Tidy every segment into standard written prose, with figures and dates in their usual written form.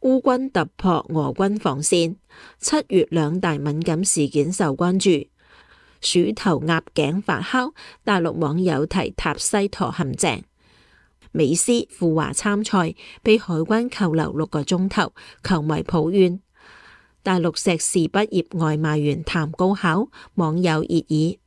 烏軍突破俄軍防線。7月兩大敏感事件受關注。鼠頭鴨頸發酵，大陸網友提塔西佗陷阱。美斯赴華參賽，被海關扣留6個鐘頭，球迷抱怨。大陸碩士畢業外賣員談高考，網友熱議。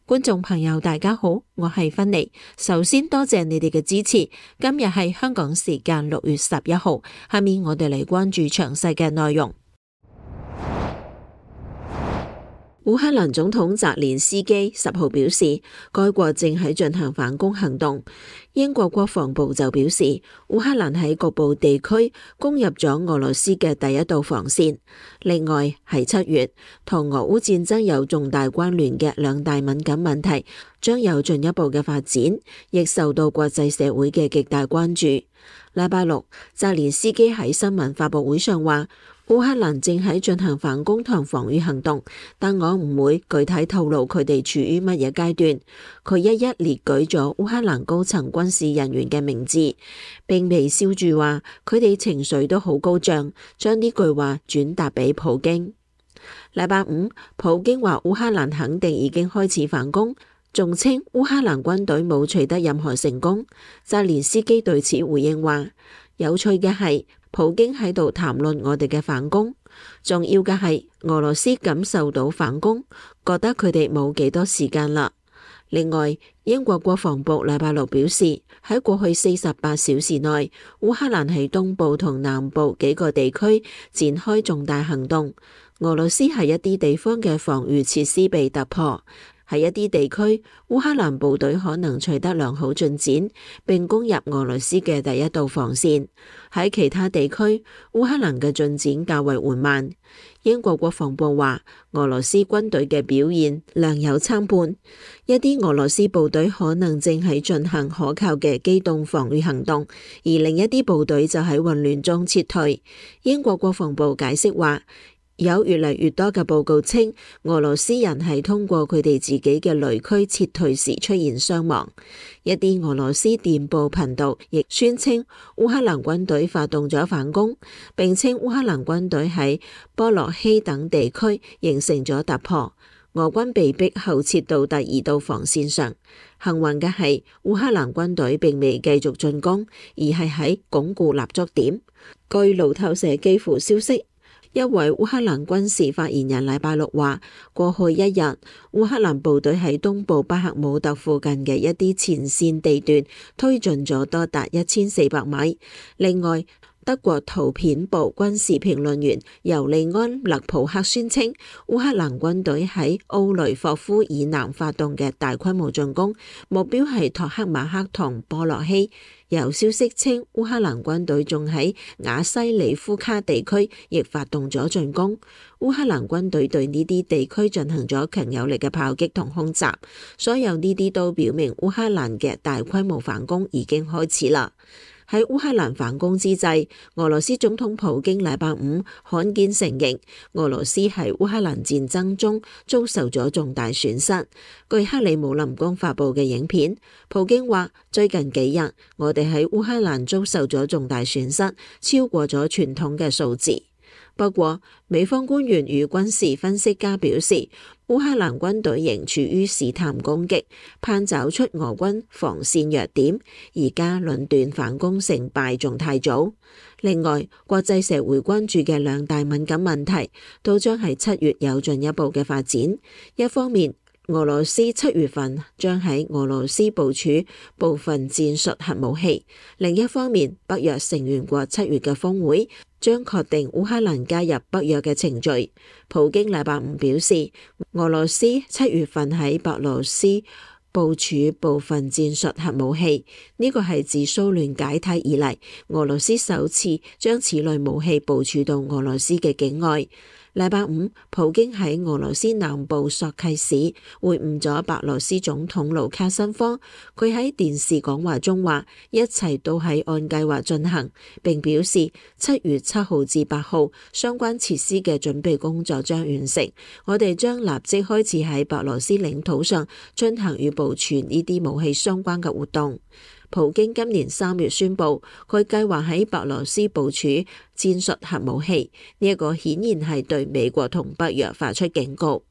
觀眾朋友大家好，我係芬妮。首先多謝你哋嘅支持。今日係香港時間6月11號，下面我哋嚟關注詳細嘅內容。烏克蘭總統澤連斯基10號表示，該國正喺進行反攻行動。英國國防部就表示，烏克蘭喺局部地區攻入咗俄羅斯嘅第一道防線。另外，喺7月同俄烏戰爭有重大關聯嘅兩大敏感問題將有進一步嘅發展，亦受到國際社會嘅極大關注。禮拜六，澤連斯基喺新聞發佈會上話，烏克蘭正喺進行反攻同防禦行動，但我唔會具體透露佢哋處於乜嘢階段。佢一一列舉咗烏克蘭高層軍事人員嘅名字，並微笑住話佢哋情緒都好高漲，將呢句話轉達俾普京。禮拜五，普京話烏克蘭肯定已經開始反攻，仲稱烏克蘭軍隊冇取得任何成功。澤連斯基對此回應話，有趣嘅係，普京喺度談論我哋嘅反攻，重要嘅係俄羅斯感受到反攻，覺得佢哋冇幾多時間啦。另外，英國國防部禮拜六表示，喺過去48小時內，烏克蘭喺東部同南部幾個地區展開重大行動。俄羅斯喺一啲地方嘅防禦設施被突破。喺一啲地區，烏克蘭部隊可能取得良好進展，並攻入俄羅斯嘅第一道防線。喺其他地區，烏克蘭嘅進展較為緩慢。英國國防部話，俄羅斯軍隊嘅表現良莠參半，一啲俄羅斯部隊可能正喺進行可靠嘅機動防禦行動，而另一啲部隊就喺混亂中撤退。英國國防部解釋話，有越嚟越多嘅報告稱，俄羅斯人係通過佢哋自己嘅雷區撤退時出現傷亡。一啲俄羅斯電報頻道亦宣稱烏克蘭軍隊發動咗反攻，並稱烏克蘭軍隊喺波洛希等地區形成咗突破，俄軍被逼後撤到第二道防線上。幸運嘅係，烏克蘭軍隊並未繼續進攻，而係喺鞏固立足點。據路透社基輔消息，一位烏克蘭軍事發言人禮拜六話，過去一日，烏克蘭部隊喺東部巴克姆特附近嘅一啲前線地段推進咗多達1400米。另外，德國圖片部軍事評論員尤利安勒普克宣稱，烏克蘭軍隊喺奧雷霍夫以南發動嘅大規模進攻，目標係托克馬克同波洛希。有消息稱，烏克蘭軍隊仲喺瓦西里夫卡地區亦發動咗進攻。烏克蘭軍隊對呢啲地區進行咗強有力嘅炮擊同空襲，所有呢啲都表明烏克蘭嘅大規模反攻已經開始啦。喺烏克蘭反攻之際，俄羅斯總統普京禮拜五罕見承認，俄羅斯喺烏克蘭戰爭中遭受咗重大損失。據克里姆林宮發布嘅影片，普京話：最近幾日，我哋喺烏克蘭遭受咗重大損失，超過咗傳統嘅數字。不過，美方官員與軍事分析家表示，烏克蘭軍隊仍處於試探攻擊，盼找出俄軍防線弱點，而家論斷反攻成敗仲太早。另外，國際社會關注嘅兩大敏感問題，都將喺7月有進一步嘅發展。一方面，俄羅斯7月份將喺俄羅斯部署部分戰術核武器；另一方面，北約成員國7月嘅峰會將確定烏克蘭加入北約嘅程序。普京禮拜五表示，俄羅斯7月份喺白羅斯部署部分戰術核武器，呢個係自蘇聯解體以嚟，俄羅斯首次將此類武器部署到俄羅斯嘅境外。禮拜五，普京喺俄羅斯南部索契市會晤咗白羅斯總統盧卡申科。佢喺電視講話中話，一切都係按計劃進行，並表示7月7號至8號相關設施嘅準備工作將完成。我哋將立即開始喺白羅斯領土上進行與部署呢啲武器相關嘅活動。普京今年3月宣布，佢計劃喺白羅斯部署戰術核武器，呢一個顯然係對美國同北約發出警告。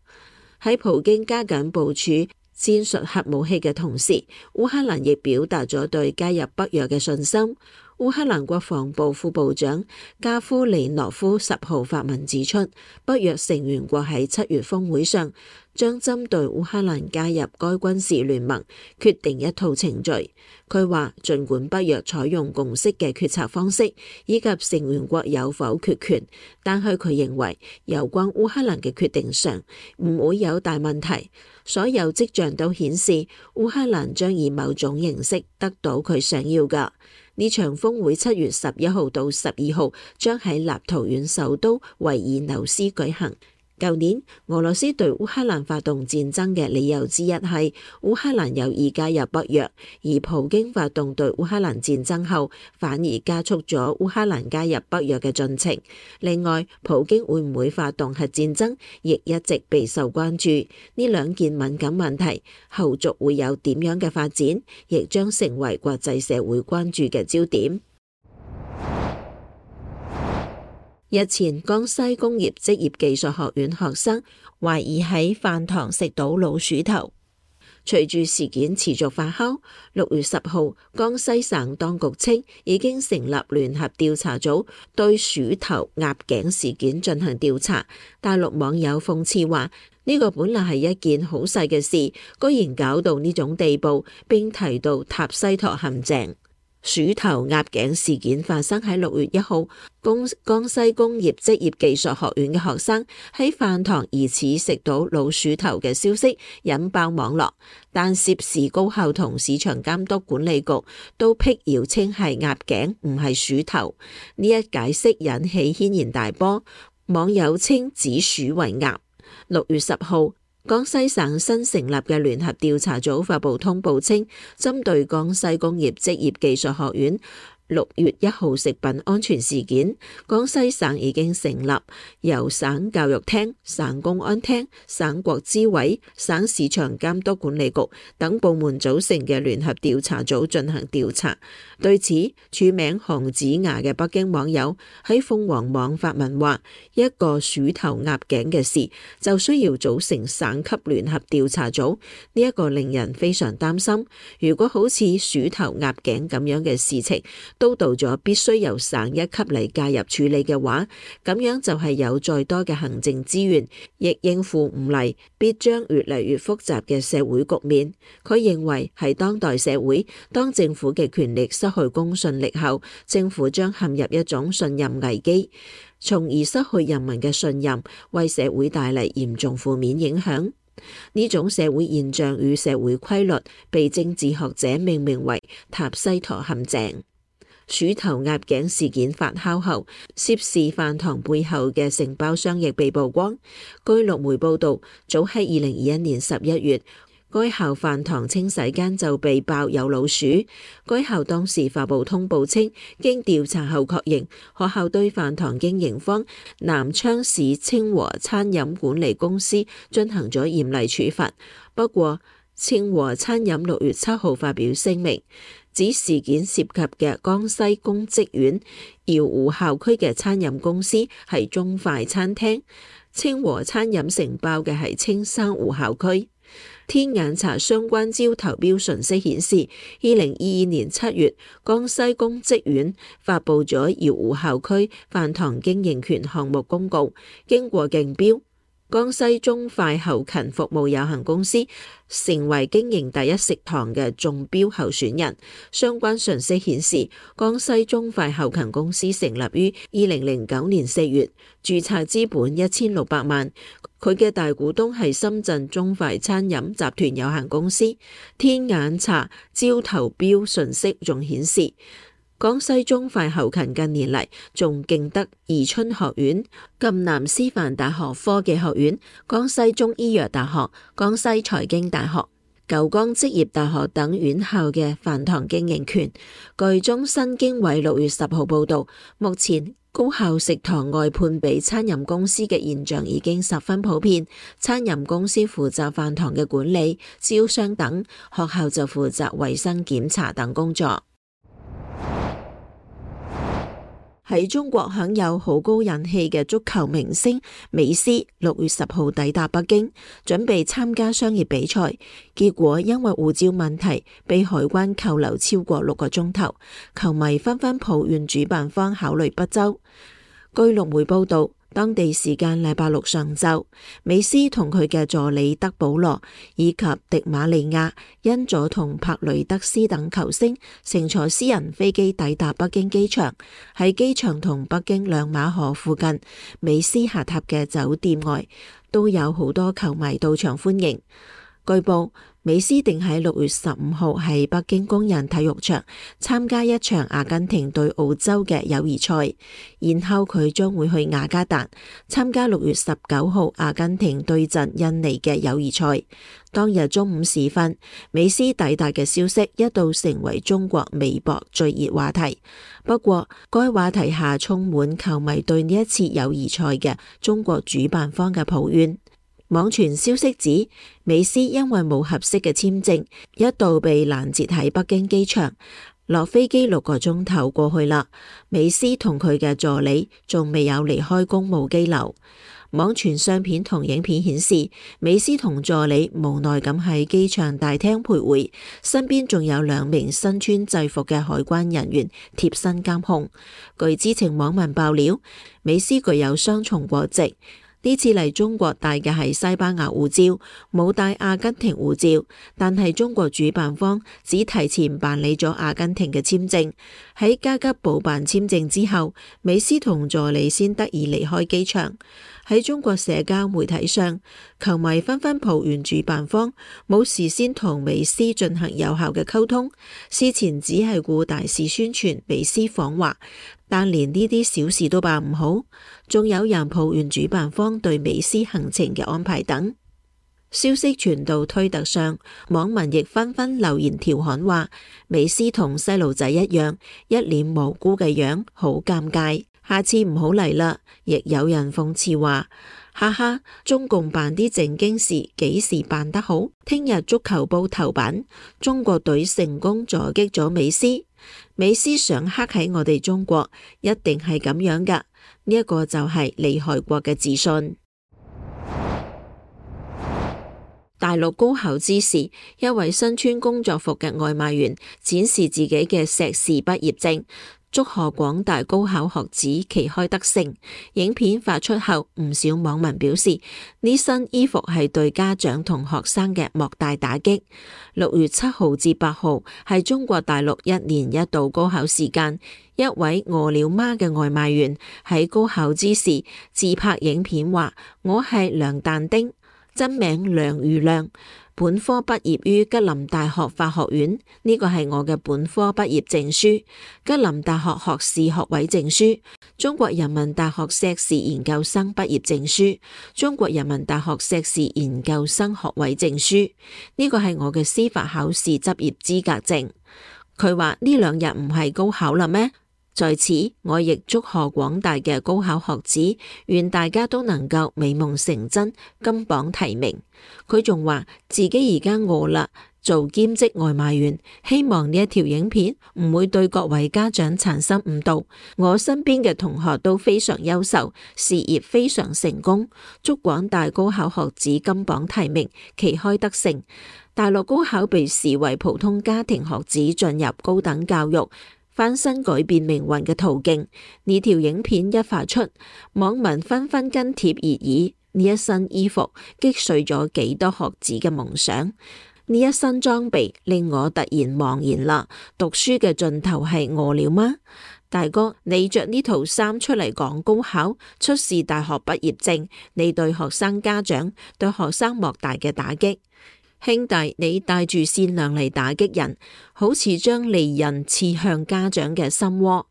喺普京加緊部署戰術核武器嘅同時，烏克蘭亦表達咗對加入北約嘅信心。烏克蘭國防部副部長加夫里諾夫10號發文指出，北約成員國喺7月峰會上將針對烏克蘭加入該軍事聯盟決定一套程序。佢話，儘管北約採用共識嘅決策方式，以及成員國有否決權，但係佢認為有關烏克蘭嘅決定上唔會有大問題。所有跡象都顯示烏克蘭將以某種形式得到佢想要嘅。呢場峰會7月11號到12號將喺立陶宛首都維爾紐斯舉行。舊年俄羅斯對烏克蘭發動戰爭嘅理由之一係烏克蘭有意加入北約，而普京發動對烏克蘭戰爭後，反而加速咗烏克蘭加入北約嘅進程。另外，普京會唔會發動核戰爭，亦一直備受關注。呢兩件敏感問題後續會有點樣嘅發展，亦將成為國際社會關注嘅焦點。日前，江西工業職業技術學院學生懷疑喺飯堂食到老鼠頭。隨住事件持續發酵，6月10號，江西省當局稱已經成立聯合調查組，對鼠頭壓頸事件進行調查。大陸網友諷刺話：呢個本來係一件好細嘅事，居然搞到呢種地步，並提到塔西佗陷阱。鼠頭壓頸事件發生喺6月1號，江西工業職業技術學院嘅學生喺飯堂疑似食到老鼠頭嘅消息引爆網絡，但涉事高校同市場監督管理局都闢謠稱係鴨頸，唔係鼠頭。呢一解釋引起軒然大波，網友稱指鼠為鴨。6月10號，江西省新成立嘅聯合調查組發布通報稱，針對江西工業職業技術學院6月1號食品安全事件，江西省已經成立由省教育廳、省公安廳、省國資委、省市場監督管理局等部門組成嘅聯合調查組進行調查。對此，署名韓子牙嘅北京網友喺鳳凰網發文話：一個鼠頭鴨頸嘅事就需要組成省級聯合調查組，呢一個令人非常擔心。如果好似鼠頭鴨頸咁樣嘅事情都到咗必須由省一級嚟介入處理嘅話，咁樣就係有再多嘅行政資源，亦應付唔嚟，必將越嚟越複雜嘅社會局面。佢認為喺當代社會，當政府嘅權力失去公信力後，政府將陷入一種信任危機，從而失去人民嘅信任，為社會帶嚟嚴重負面影響。呢種社會現象與社會規律被政治學者命名為塔西佗陷阱。鼠頭壓頸事件發酵後，涉事飯堂背後嘅承包商亦被曝光。據陸媒報道，早喺2021年11月，該校飯堂清洗間就被爆有老鼠。該校當時發布通報稱，經調查後確認，學校對飯堂經營方南昌市清和餐飲管理公司進行咗嚴厲處罰。不過，清和餐飲6月7號發表聲明，指事件涉及嘅江西公職縣瑤湖校區嘅餐飲公司係中快餐廳，清和餐飲承包嘅係青山湖校區。天眼查相關招投標信息顯示，2022年7月，江西公職縣發布咗瑤湖校區飯堂經營權項目公告，經過競標，江西中快後勤服務有限公司成為經營第一食堂嘅中標候選人。相關信息顯示，江西中快後勤公司成立於2009年4月，註冊資本1600萬。佢嘅大股東係深圳中快餐飲集團有限公司。天眼查招投標信息仲顯示，江西中快後勤近年嚟仲勁得宜春學院、贛南師範大學科技學院、江西中醫藥大學、江西財經大學、九江職業大學等院校嘅飯堂經營權。據中新經緯6月10號報道，目前高校食堂外判俾餐飲公司嘅現象已經十分普遍，餐飲公司負責飯堂嘅管理、招商等，學校就負責衛生檢查等工作。喺中國享有好高人氣嘅足球明星美斯6月10號抵達北京，準備參加商業比賽，結果因為護照問題被海關扣留超過6個鐘頭，球迷紛紛抱怨主辦方考慮不周。據陸媒報道，當地時間禮拜六上晝，美斯同佢嘅助理德保羅以及迪馬利亞、恩佐同帕雷德斯等球星乘坐私人飛機抵達北京機場。喺機場同北京兩馬河附近，美斯下榻嘅酒店外都有好多球迷到場歡迎。據報，美斯定喺6月15號喺北京工人體育場參加一場阿根廷對澳洲嘅友誼賽，然後佢將會去雅加達參加6月19號阿根廷對陣印尼嘅友誼賽。當日中午時分，美斯抵達嘅消息一度成為中國微博最熱話題。不過，該話題下充滿球迷對呢一次友誼賽嘅中國主辦方嘅抱怨。網傳消息指，美斯因為冇合適嘅簽證，一度被攔截喺北京機場。落飛機6個鐘頭過去啦，美斯同佢嘅助理仲未有離開公務機樓。網傳相片同影片顯示，美斯同助理無奈咁喺機場大廳徘徊，身邊仲有2名身穿制服嘅海關人員貼身監控。據知情網民爆料，美斯具有雙重國籍。呢次嚟中國帶嘅係西班牙護照，冇帶阿根廷護照，但係中國主辦方只提前辦理咗阿根廷嘅簽證。喺加急補辦簽證之後，美斯同助理先得以離開機場。喺中國社交媒體上，球迷紛紛抱怨主辦方冇事先同美斯進行有效嘅溝通，事前只係顧大肆宣傳美斯訪華，但連呢啲小事都辦唔好。仲有人抱怨主辦方對美斯行程嘅安排等。消息傳到推特上，網民亦紛紛留言調侃話，美斯同細路仔一樣，一臉無辜嘅樣，好尷尬，下次唔好嚟啦。亦有人諷刺話，哈哈，中共辦啲正經事幾時辦得好？聽日足球報頭版，中國隊成功阻擊咗美斯，美斯想黑喺我哋中國，一定係咁樣噶。呢一個就係利害國嘅自信。大陸高考之時，一位身穿工作服嘅外賣員展示自己嘅碩士畢業證，祝賀廣大高考學子旗開得勝。影片發出後，唔少網民表示呢身衣服係對家長同學生嘅莫大打擊。6月7號至8號係中國大陸1年1度高考時間，一位餓了麼嘅外賣員喺高考之時自拍影片話：我係梁但丁，真名梁瑜亮，本科畢業於吉林大學法學院，呢個係我嘅本科畢業證書，吉林大學學士學位證書，中國人民大學碩士研究生畢業證書，中國人民大學碩士研究生學位證書，呢個係我嘅司法考試執業資格證。佢話呢2日唔係高考啦咩？在此，我亦祝賀廣大嘅高考學子，願大家都能夠美夢成真，金榜題名。佢仲話自己而家餓啦，做兼職外賣員，希望呢一條影片唔會對各位家長產生誤導。我身邊嘅同學都非常優秀，事業非常成功，祝廣大高考學子金榜題名，旗開得勝。大陸高考被視為普通家庭學子進入高等教育翻身改變命運嘅途徑。呢條影片一發出，網民紛紛跟帖熱議，呢一身衣服擊碎咗幾多學子嘅夢想，呢一身裝備令我突然茫然啦。讀書嘅盡頭係餓了嗎？大哥，你着呢套衫出嚟講高考，出示大學畢業證，你對學生家長、對學生莫大嘅打擊。兄弟，你帶住善良嚟打擊人，好似將利刃刺向家長嘅心窩。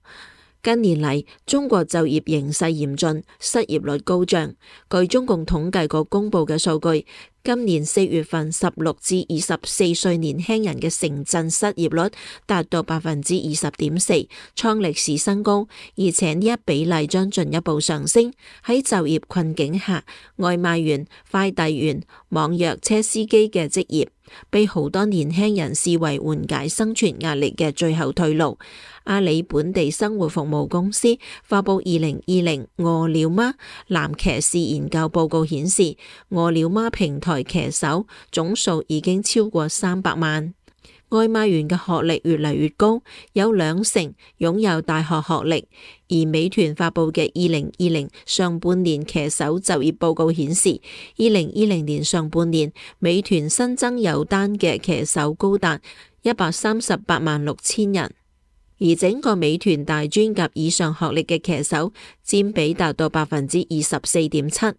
近年嚟，中國就業形勢嚴峻，失業率高漲。據中共統計局公布嘅數據，今年4月份16至24歲年輕人嘅城鎮失業率達到20.4%，創歷史新高，而且呢一比例將進一步上升。喺就業困境下，外賣員、快遞員、網約車司機嘅職業被好多年輕人視為緩解生存壓力嘅最後退路。阿里本地生活服務公司發佈2020餓了麼男騎士研究報告顯示，餓了麼平台騎手總數已經超過300萬。外賣員嘅學歷越嚟越高，有20%擁有大學學歷。而美團發佈嘅2020上半年騎手就業報告顯示，2020年上半年美團新增有單嘅騎手高達138.6萬人。而整個美團大專及以上學歷嘅騎手佔比達到24.7%。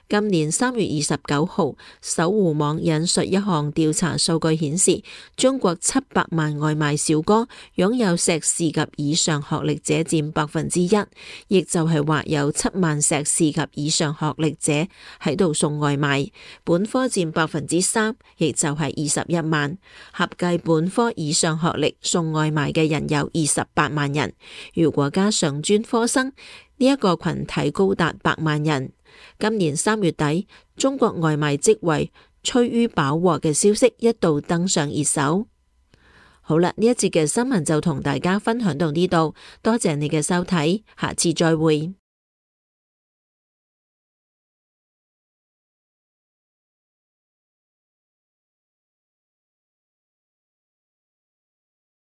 今年3月29號，搜狐網引述一項調查數據顯示，中國700萬外賣小哥擁有碩士及以上學歷者佔1%，亦就係話有7萬碩士及以上學歷者喺度送外賣。本科佔3%，亦就係21萬。合計本科以上學歷送外賣嘅人有28萬人。如果加上專科生，呢一個群體高達100萬人。今年3月底，中國外賣職位趨於飽和嘅消息一度登上熱搜。好啦，呢一節嘅新聞就同大家分享到呢度，多謝你嘅收睇，下次再會。